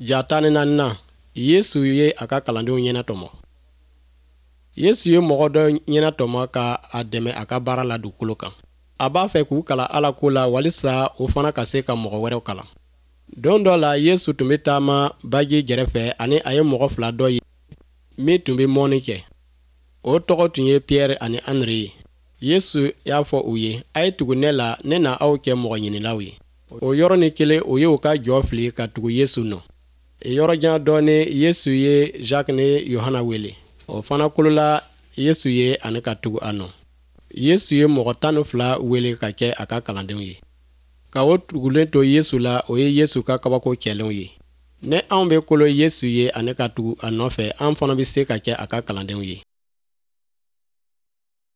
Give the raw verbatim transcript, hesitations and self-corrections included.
Ja tan ni naaninan, Yesu ye a ka kalandenw ɲɛnatɔmɔ. Yesu ye mɔgɔ dɔ ɲɛnatɔmɔ ka a dɛmɛ a ka baara la dugukolo kan. A b'a fɛ k'u kalan Ala ko la walisa o fana ka se ka mɔgɔ wɛrɛw kalan. Don dɔ la, Yesu tun bɛ taama baji gɛrɛfɛ ani a ye mɔgɔ fila dɔ ye min tun bɛ mɔnni kɛ. O tɔgɔ tun ye Piyɛri ani Andre ye. Yesu y'a fɔ u ye: "A ye tugu ne la, ne na aw kɛ mɔgɔ ɲinilaw ye." O yɔrɔnin kelen, o ye u ka jɔ fili ka tugu Yesu nɔ. Yɔrɔ jan dɔɔnin, Yesu ye Jacques ni Yohana wele. O fana kolola Yesu ye ani ka tugu a nɔ. Yesu ye mɔgɔ tan ni fila wele ka kɛ a ka kalandenw ye. Ka o tugulen to Yesu la, o ye Yesu ka kabako kɛlenw ye. Ni anw bɛ kolo Yesu ye ani ka tugu a nɔfɛ, an fana bɛ se ka kɛ a ka kalandenw ye.